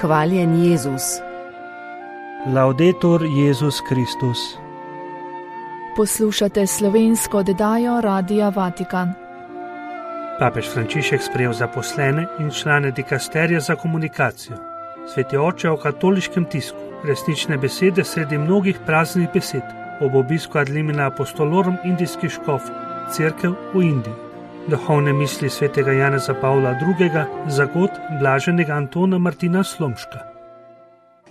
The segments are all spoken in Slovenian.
Hvaljen Jezus. Laudetur Jezus Kristus. Poslušate slovensko oddajo Radia Vatikan. Papež Frančišek sprejel zaposlene in člane dikasterija za komunikacijo. Sveti oče o katoliškem tisku, resnične besede sredi mnogih praznih besed, ob obisku ad limina apostolorum indijskih škofov, cerkev v Indiji. Duhovne misli svetega Janeza Pavla II. Za god blaženega Antona Martina Slomška.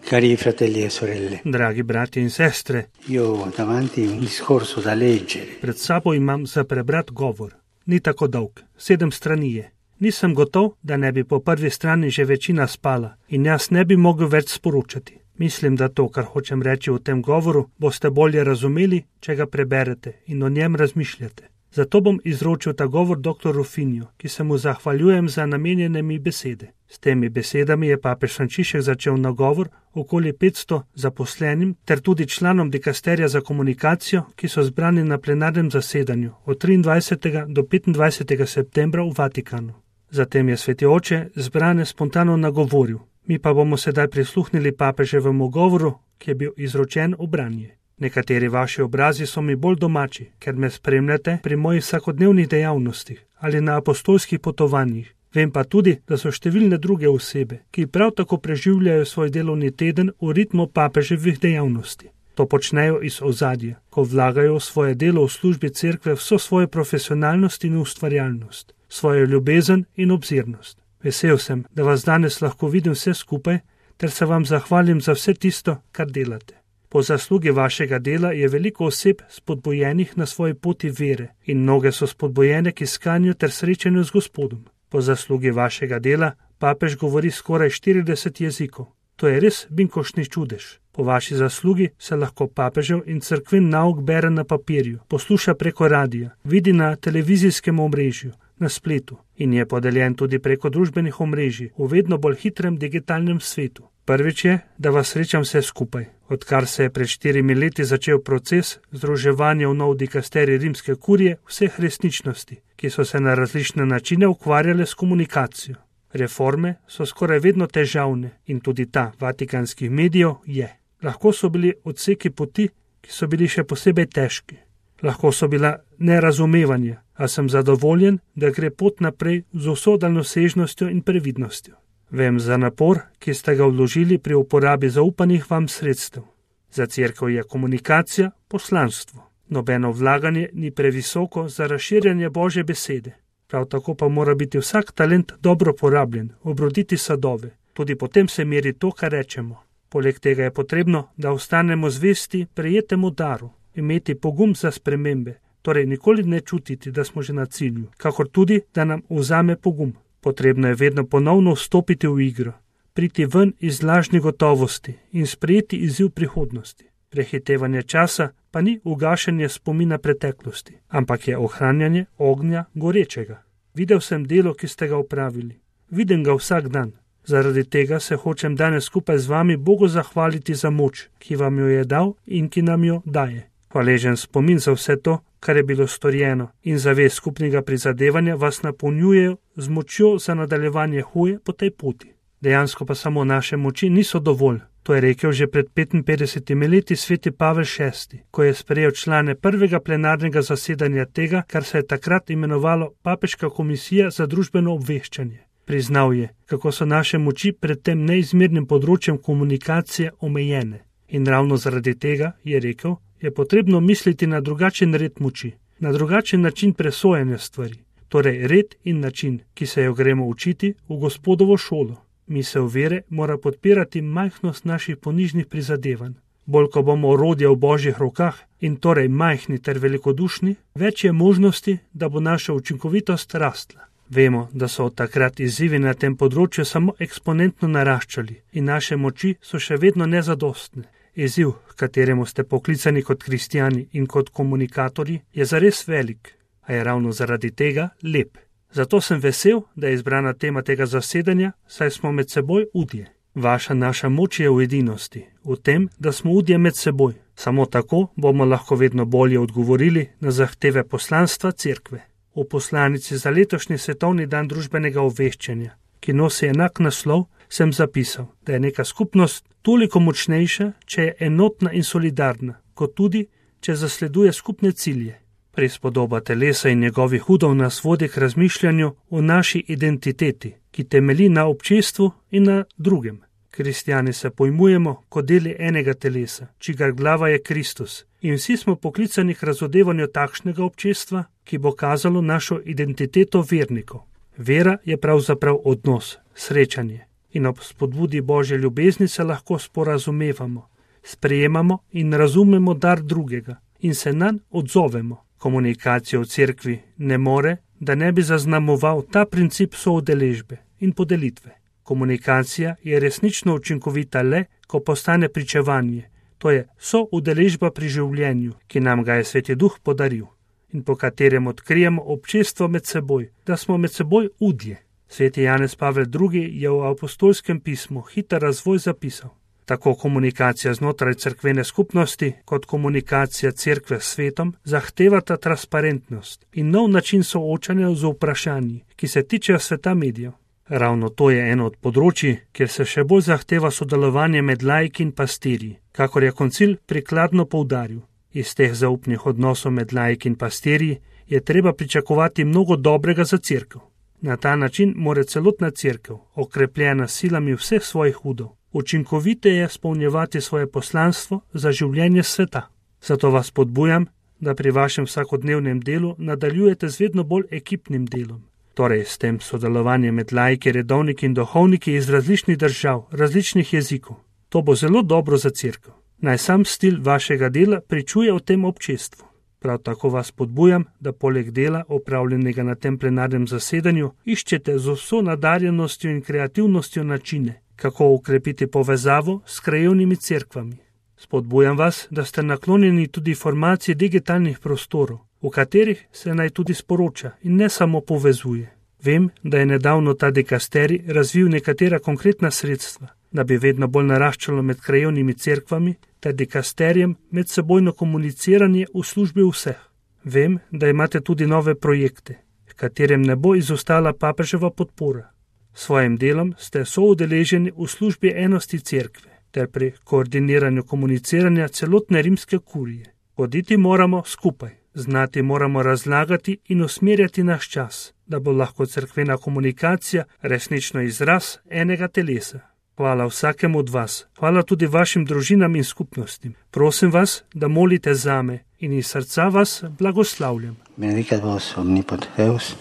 Cari fratelli e sorelle, Dragi bratje in sestre, io ho davanti un discorso da leggere. Pred sabo imam za prebrat govor. Ni tako dolg, 7 strani je. Nisem gotov, da ne bi po prvi strani že večina spala in jaz ne bi mogel več sporočati. Mislim, da to, kar hočem reči v tem govoru, boste bolje razumeli, če ga preberete in o njem razmišljate. Zato bom izročil ta govor dr. Rufinju, ki se mu zahvaljujem za namenjene mi besede. S temi besedami je papež Frančišek začel nagovor okoli 500 zaposlenim ter tudi članom dikasterija za komunikacijo, ki so zbrani na plenarnem zasedanju od 23. do 25. septembra v Vatikanu. Zatem je sveti oče zbrane spontano nagovoril. Mi pa bomo sedaj prisluhnili papeževemu govoru, ki je bil izročen v branje. Nekateri vaši obrazi so mi bolj domači, ker me spremljate pri mojih vsakodnevnih dejavnostih ali na apostolskih potovanjih. Vem pa tudi, da so številne druge osebe, ki prav tako preživljajo svoj delovni teden v ritmu papeževih dejavnosti. To počnejo iz ozadja, ko vlagajo v svoje delo v službi cerkve vso svojo profesionalnost in ustvarjalnost, svojo ljubezen in obzirnost. Vesel sem, da vas danes lahko vidim vse skupaj, ter se vam zahvalim za vse tisto, kar delate. Po zaslugi vašega dela je veliko oseb spodbojenih na svoji poti vere in mnoge so spodbojene k iskanju ter srečanju z Gospodom. Po zaslugi vašega dela papež govori skoraj 40 jezikov. To je res binkoštni čudež. Po vaši zaslugi se lahko papežev in cerkven nauk bere na papirju, posluša preko radija, vidi na televizijskem omrežju, na spletu in je podeljen tudi preko družbenih omrežij v vedno bolj hitrem digitalnem svetu. Prvič je, da vas srečam vse skupaj. Odkar se je pred 4 leti začel proces združevanja v nov dikasterij rimske kurije vseh resničnosti, ki so se na različne načine ukvarjale s komunikacijo. Reforme so skoraj vedno težavne in tudi ta vatikanskih medijev je. Lahko so bili odseki poti, ki so bili še posebej težki. Lahko so bila nerazumevanja, a sem zadovoljen, da gre pot naprej z vso daljnosežnostjo in previdnostjo. Vem za napor, ki ste ga vložili pri uporabi zaupanih vam sredstev. Za cerkev je komunikacija poslanstvo. Nobeno vlaganje ni previsoko za razširjanje Božje besede. Prav tako pa mora biti vsak talent dobro porabljen, obroditi sadove. Tudi potem se meri to, kar rečemo. Poleg tega je potrebno, da ostanemo zvesti prejetemu daru, imeti pogum za spremembe, torej nikoli ne čutiti, da smo že na cilju, kakor tudi, da nam vzame pogum. Potrebno je vedno ponovno vstopiti v igro, priti ven iz lažne gotovosti in sprejeti izziv prihodnosti. Prehitevanje časa pa ni ugašanje spomina preteklosti, ampak je ohranjanje ognja gorečega. Videl sem delo, ki ste ga opravili. Vidim ga vsak dan. Zaradi tega se hočem danes skupaj z vami Bogu zahvaliti za moč, ki vam jo je dal in ki nam jo daje. Hvaležen spomin za vse to, kar je bilo storjeno in zavest skupnega prizadevanja vas napolnjujejo z močjo za nadaljevanje hoje po tej poti. Dejansko pa samo naše moči niso dovolj. To je rekel že pred 55 leti sveti Pavel VI, ko je sprejel člane prvega plenarnega zasedanja tega, kar se je takrat imenovalo Papeška komisija za družbeno obveščanje. Priznal je, kako so naše moči pred tem neizmernim področjem komunikacije omejene. In ravno zaradi tega, je rekel, je potrebno misliti na drugačen red moči, na drugačen način presojanja stvari, torej red in način, ki se jo gremo učiti v Gospodovo šolo. Misel vere mora podpirati majhnost naših ponižnih prizadevanj. Bolj ko bomo orodje v Božjih rokah in torej majhni ter velikodušni, več je možnosti, da bo naša učinkovitost rastla. Vemo, da so od takrat izzivi na tem področju samo eksponentno naraščali in naše moči so še vedno nezadostne. Izziv, k kateremu ste poklicani kot kristjani in kot komunikatorji, je zares velik, a je ravno zaradi tega lep. Zato sem vesel, da je izbrana tema tega zasedanja, saj smo med seboj udje. Naša moč je v edinosti, v tem, da smo udje med seboj. Samo tako bomo lahko vedno bolje odgovorili na zahteve poslanstva cerkve. V poslanici za letošnji svetovni dan družbenega obveščanja, ki nosi enak naslov, sem zapisal, da je neka skupnost toliko močnejša, če je enotna in solidarna, kot tudi, če zasleduje skupne cilje. Prispodoba telesa in njegovih udov nas vodi k razmišljanju o naši identiteti, ki temelji na občestvu in na drugem. Kristjani se pojmujemo kot deli enega telesa, čigar glava je Kristus, in vsi smo poklicani k razodevanju takšnega občestva, ki bo kazalo našo identiteto vernikov. Vera je pravzaprav odnos, srečanje, in ob spodbudi Božje ljubezni se lahko sporazumevamo, sprejemamo in razumemo dar drugega in se nanj odzovemo. Komunikacija v cerkvi ne more, da ne bi zaznamoval ta princip soudeležbe in podelitve. Komunikacija je resnično učinkovita le, ko postane pričevanje, to je soudeležba pri življenju, ki nam ga je Sveti Duh podaril in po katerem odkrijemo občestvo med seboj, da smo med seboj udje. Sveti Janez Pavel II. Je v apostolskem pismu Hiter razvoj zapisal: tako komunikacija znotraj cerkvene skupnosti kot komunikacija cerkve s svetom zahtevata transparentnost in nov način soočanja z vprašanji, ki se tičejo sveta medijev. Ravno to je eno od področij, kjer se še bolj zahteva sodelovanje med laiki in pastirji, kakor je koncil prikladno poudaril. Iz teh zaupnih odnosov med laiki in pastirji je treba pričakovati mnogo dobrega za cerkev. Na ta način mora celotna cerkev, okrepljena s silami vseh svojih udov, učinkoviteje izpolnjevati svoje poslanstvo za življenje sveta. Zato vas podbujam, da pri vašem vsakodnevnem delu nadaljujete z vedno bolj ekipnim delom. Torej s tem sodelovanjem med laiki, redovniki in duhovniki iz različnih držav, različnih jezikov. To bo zelo dobro za cerkev. Naj sam stil vašega dela pričuje o tem občestvu. Prav tako vas podbujam, da poleg dela, opravljenega na tem plenarnem zasedanju, iščete z vso nadarjenostjo in kreativnostjo načine, kako ukrepiti povezavo s krajevnimi cerkvami. Spodbujam vas, da ste naklonjeni tudi formaciji digitalnih prostorov, v katerih se naj tudi sporoča in ne samo povezuje. Vem, da je nedavno ta dikasterij razvil nekatera konkretna sredstva, da bi vedno bolj naraščalo med krajevnimi cerkvami ter dikasterijem medsebojno komuniciranje v službi vseh. Vem, da imate tudi nove projekte, v katerem ne bo izostala papeževa podpora. S svojim delom ste soudeleženi v službi enosti cerkve ter pri koordiniranju komuniciranja celotne rimske kurije. Hoditi moramo skupaj, znati moramo razlagati in usmerjati naš čas, da bo lahko cerkvena komunikacija resnično izraz enega telesa. Hvala vsakemu od vas, hvala tudi vašim družinam in skupnostim. Prosim vas, da molite zame in iz srca vas blagoslavljam. Benedicat vos omnipotens Deus,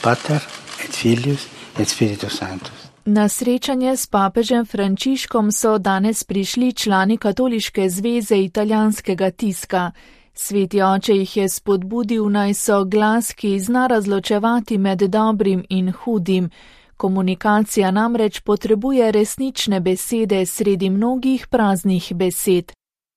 Pater et Filius et Spiritus Sanctus. Na srečanje s papežem Frančiškom so danes prišli člani Katoliške zveze italijanskega tiska. Sveti oče jih je spodbudil, naj so glas, ki zna razločevati med dobrim in hudim. Komunikacija namreč potrebuje resnične besede sredi mnogih praznih besed.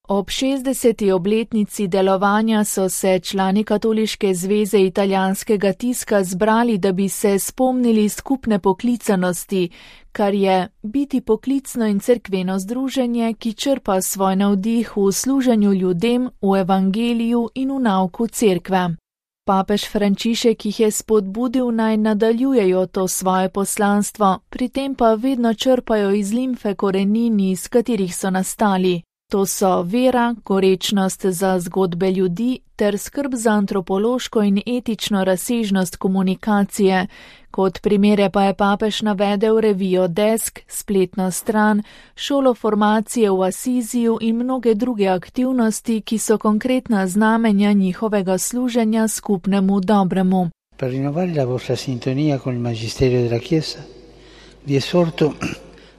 Ob 60. obletnici delovanja so se člani Katoliške zveze italijanskega tiska zbrali, da bi se spomnili skupne poklicanosti, kar je biti poklicno in cerkveno združenje, ki črpa svoj navdih v služenju ljudem, v evangeliju in v nauku cerkve. Papež Frančišek jih je spodbudil, naj nadaljujejo to svoje poslanstvo, pri tem pa vedno črpajo iz limfe korenin, iz katerih so nastali. To so vera, gorečnost za zgodbe ljudi ter skrb za antropološko in etično razsežnost komunikacije. Kot primere pa je papež navedel revijo Desk, spletno stran, šolo formacije v Asiziju in mnoge druge aktivnosti, ki so konkretna znamenja njihovega služenja skupnemu dobremu. Per rinnovare la vostra sintonia con il magisterio della Chiesa, vi esorto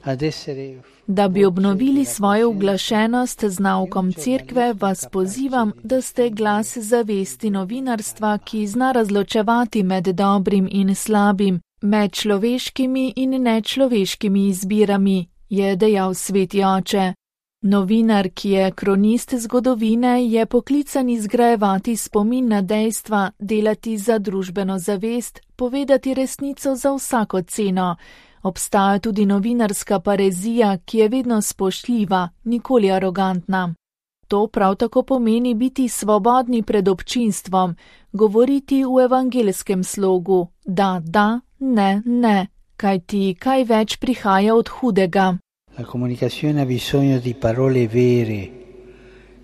ad essere... Da bi obnovili svojo uglašenost z naukom cerkve, vas pozivam, da ste glas zavesti novinarstva, ki zna razločevati med dobrim in slabim, med človeškimi in nečloveškimi izbirami, je dejal sveti oče. Novinar, ki je kronist zgodovine, je poklican izgrajevati spomin na dejstva, delati za družbeno zavest, povedati resnico za vsako ceno. Obstaja tudi novinarska parezija, ki je vedno spoštljiva, nikoli arogantna. To prav tako pomeni biti svobodni pred občinstvom, govoriti v evangelskem slogu, da, ne, kajti kaj več prihaja od hudega. La comunicazione ha bisogno di parole vere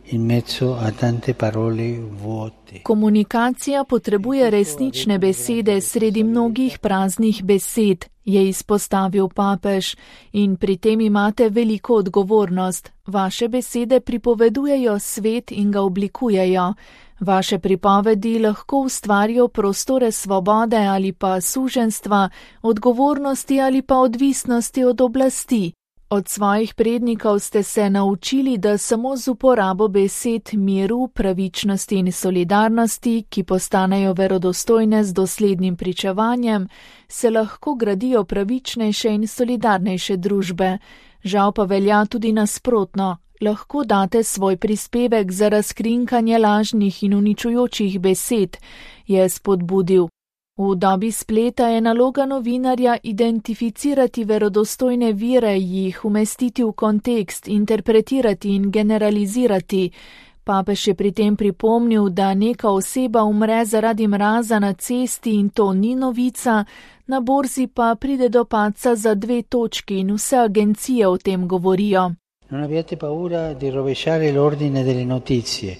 in mezzo a tante parole vuote. Komunikacija potrebuje resnične besede sredi mnogih praznih besed, je izpostavil papež, in pri tem imate veliko odgovornost. Vaše besede pripovedujejo svet in ga oblikujejo. Vaše pripovedi lahko ustvarijo prostore svobode ali pa suženjstva, odgovornosti ali pa odvisnosti od oblasti. Od svojih prednikov ste se naučili, da samo z uporabo besed miru, pravičnosti in solidarnosti, ki postanejo verodostojne z doslednim pričevanjem, se lahko gradijo pravičnejše in solidarnejše družbe. Žal pa velja tudi nasprotno. Lahko date svoj prispevek za razkrinkanje lažnih in uničujočih besed, je spodbudil. V dobi spleta je naloga novinarja identificirati verodostojne vire, jih umestiti v kontekst, interpretirati in generalizirati. Papež je pri tem pripomnil, da neka oseba umre zaradi mraza na cesti in to ni novica, na borzi pa pride do padca za 2 točki in vse agencije o tem govorijo. Non abbiate paura di rovesciare l'ordine delle notizie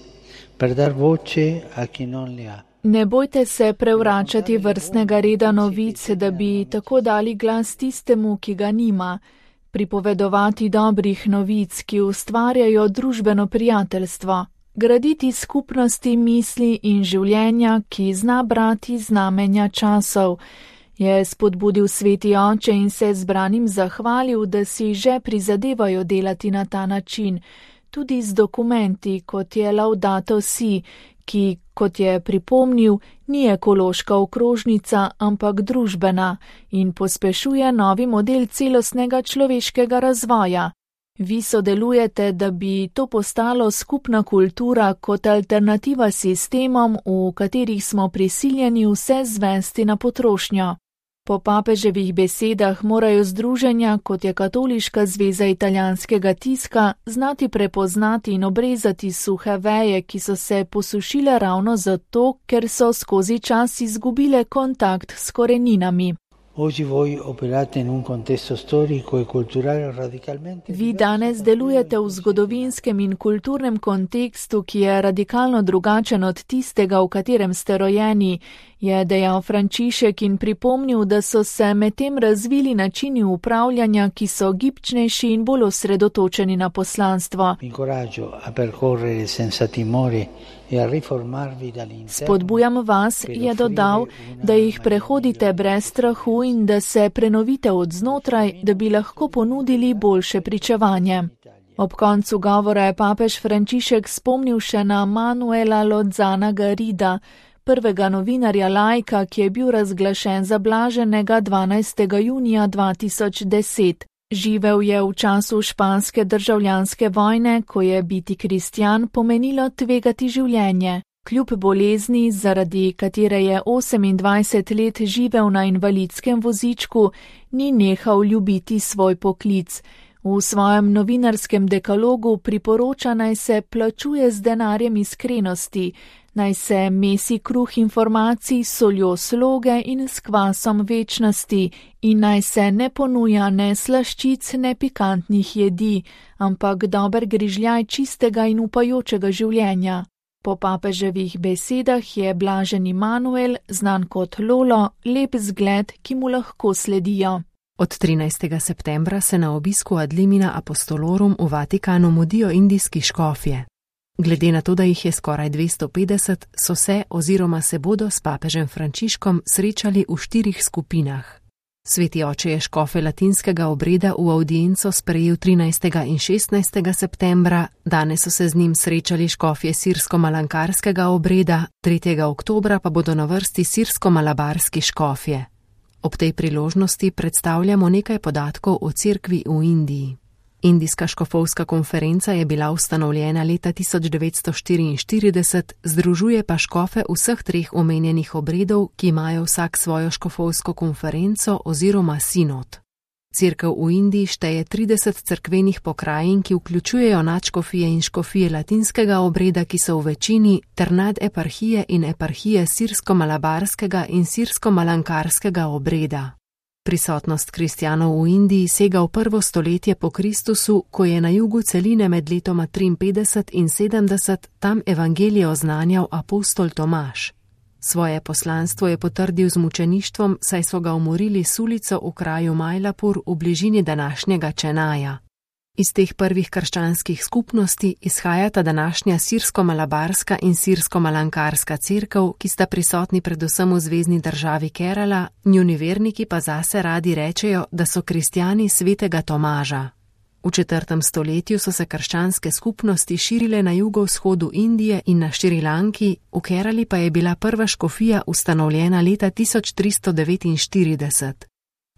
per dar voce a chi non le ha. Ne bojte se prevračati vrstnega reda novic, da bi tako dali glas tistemu, ki ga nima. Pripovedovati dobrih novic, ki ustvarjajo družbeno prijateljstvo. Graditi skupnosti misli in življenja, ki zna brati znamenja časov. Je spodbudil sveti oče in se zbranim zahvalil, da si že prizadevajo delati na ta način. Tudi z dokumenti, kot je Laudato Si, ki, kot je pripomnil, ni ekološka okrožnica, ampak družbena in pospešuje novi model celostnega človeškega razvoja. Vi sodelujete, da bi to postalo skupna kultura kot alternativa sistemom, v katerih smo prisiljeni vse zvesti na potrošnjo. Po papeževih besedah morajo združenja, kot je Katoliška zveza italijanskega tiska, znati prepoznati in obrezati suhe veje, ki so se posušile ravno zato, ker so skozi čas izgubile kontakt s koreninami. Vi danes delujete v zgodovinskem in kulturnem kontekstu, ki je radikalno drugačen od tistega, v katerem ste rojeni, je dejal Frančišek in pripomnil, da so se medtem razvili načini upravljanja, ki so gibčnejši in bolj osredotočeni na poslanstvo. Spodbujam vas, je dodal, da jih prehodite brez strahu in da se prenovite od znotraj, da bi lahko ponudili boljše pričevanje. Ob koncu govora je papež Frančišek spomnil še na Manuela Lozana Garrida, prvega novinarja laika, ki je bil razglašen za blaženega 12. junija 2010. Živel je v času španske državljanske vojne, ko je biti kristjan pomenilo tvegati življenje. Kljub bolezni, zaradi katere je 28 let živel na invalidskem vozičku, ni nehal ljubiti svoj poklic. V svojem novinarskem dekalogu priporoča, naj se plačuje z denarjem iskrenosti, naj se mesi kruh informacij s soljo sloge in s kvasom večnosti in naj se ne ponuja ne slaščic, ne pikantnih jedi, ampak dober grižljaj čistega in upajočega življenja. Po papeževih besedah je blaženi Manuel, znan kot Lolo, lep zgled, ki mu lahko sledijo. Od 13. septembra se na obisku ad limina apostolorum v Vatikanu mudijo indijski škofje. Glede na to, da jih je skoraj 250, so se oziroma se bodo s papežem Frančiškom srečali v 4 skupinah. Sveti oče je škofe latinskega obreda v audienco sprejel 13. in 16. septembra, danes so se z njim srečali škofje sirsko-malankarskega obreda, 3. oktobra pa bodo na vrsti sirsko-malabarski škofje. Ob tej priložnosti predstavljamo nekaj podatkov o cerkvi v Indiji. Indijska škofovska konferenca je bila ustanovljena leta 1944, združuje pa škofe vseh 3 omenjenih obredov, ki imajo vsak svojo škofovsko konferenco oziroma sinod. Cerkev v Indiji šteje 30 cerkvenih pokrajin, ki vključujejo nadškofije in škofije latinskega obreda, ki so v večini, ter nadeparhije in eparhije sirsko-malabarskega in sirsko-malankarskega obreda. Prisotnost kristjanov v Indiji sega v 1. stoletje po Kristusu, ko je na jugu celine med letoma 53 in 70 tam evangelije oznanjal apostol Tomaž. Svoje poslanstvo je potrdil z mučeništvom, saj so ga umorili s ulico v kraju Majlapur v bližini današnjega Čenaja. Iz teh prvih krščanskih skupnosti izhajata današnja sirsko-malabarska in sirsko-malankarska cerkev, ki sta prisotni predvsem v zvezni državi Kerala, njuni verniki pa zase radi rečejo, da so kristjani svetega Tomaža. V 4. stoletju so se krščanske skupnosti širile na jugovzhodu Indije in na Šrilanki, v Kerali pa je bila prva škofija ustanovljena leta 1349.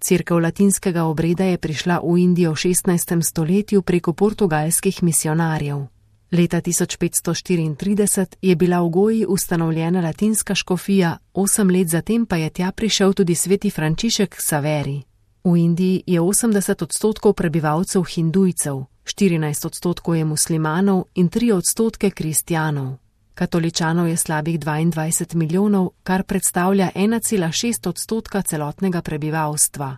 Cerkev latinskega obreda je prišla v Indijo v 16. stoletju preko portugalskih misionarjev. Leta 1534 je bila v Goji ustanovljena latinska škofija, 8 let zatem pa je tja prišel tudi sveti Frančišek Saveri. V Indiji je 80% prebivalcev hindujcev, 14% je muslimanov in 3% kristjanov. Katoličanov je slabih 22 milijonov, kar predstavlja 1,6% celotnega prebivalstva.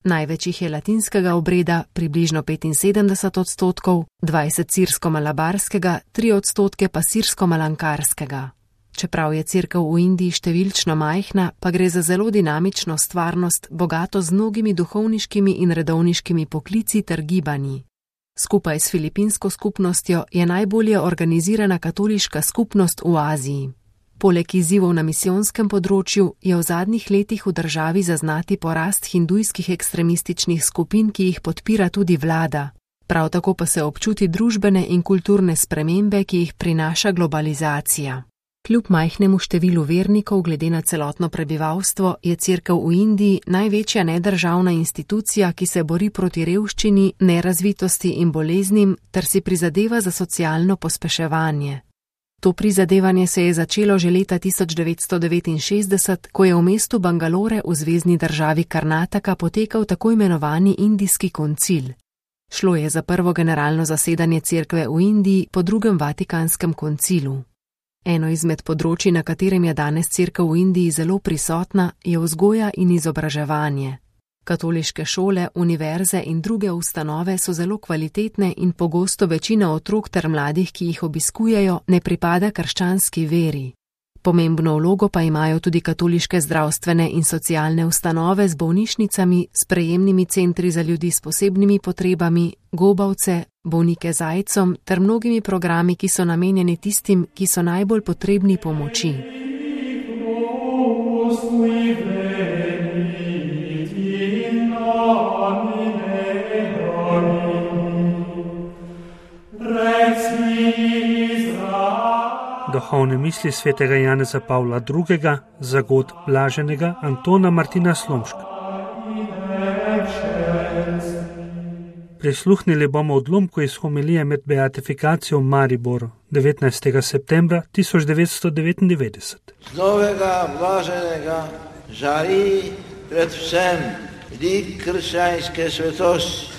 Največ jih je latinskega obreda, približno 75%, 20% sirsko-malabarskega, 3% pa sirsko-malankarskega. Čeprav je cerkev v Indiji številčno majhna, pa gre za zelo dinamično stvarnost, bogato z mnogimi duhovniškimi in redovniškimi poklici ter gibanji. Skupaj s filipinsko skupnostjo je najbolje organizirana katoliška skupnost v Aziji. Poleg izzivov na misijonskem področju je v zadnjih letih v državi zaznati porast hindujskih ekstremističnih skupin, ki jih podpira tudi vlada. Prav tako pa se občuti družbene in kulturne spremembe, ki jih prinaša globalizacija. Kljub majhnemu številu vernikov glede na celotno prebivalstvo je cerkev v Indiji največja nedržavna institucija, ki se bori proti revščini, nerazvitosti in boleznim ter si prizadeva za socialno pospeševanje. To prizadevanje se je začelo že leta 1969, ko je v mestu Bangalore v zvezni državi Karnataka potekal tako imenovani indijski koncil. Šlo je za prvo generalno zasedanje cerkve v Indiji po drugem Vatikanskem koncilu. Eno izmed področji, na katerem je danes cerkev v Indiji zelo prisotna, je vzgoja in izobraževanje. Katoliške šole, univerze in druge ustanove so zelo kvalitetne in pogosto večina otrok ter mladih, ki jih obiskujejo, ne pripada krščanski veri. Pomembno vlogo pa imajo tudi katoliške zdravstvene in socialne ustanove z bolnišnicami, sprejemnimi centri za ljudi s posebnimi potrebami, gobavce, bolnike z aidsom ter mnogimi programi, ki so namenjeni tistim, ki so najbolj potrebni pomoči. Duhovne misli svetega Janeza Pavla II. Za god blaženega Antona Martina Slomška. Prisluhnili bomo odlomku iz homilije med beatifikacijo v Mariboru 19. septembra 1999. Z novega blaženega žari predvsem lik krščanske svetosti.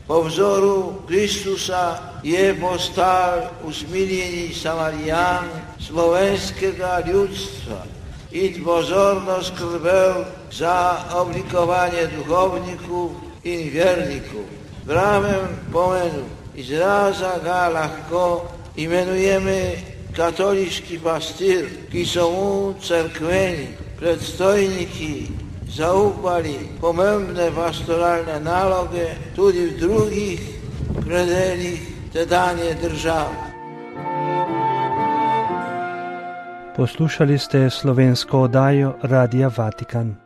Po vzoru Kristusa je postal usmiljeni Samarijan slovenskega ljudstva in pozorno skrbel za oblikovanje duhovnikov in vernikov. V pravem pomenu izraza ga lahko imenujeme katoliški pastir, ki so mu cerkveni predstojniki zaupali pomembne pastoralne naloge tudi v drugih predelih tedanje države. Poslušali ste slovensko oddajo Radia Vatikan.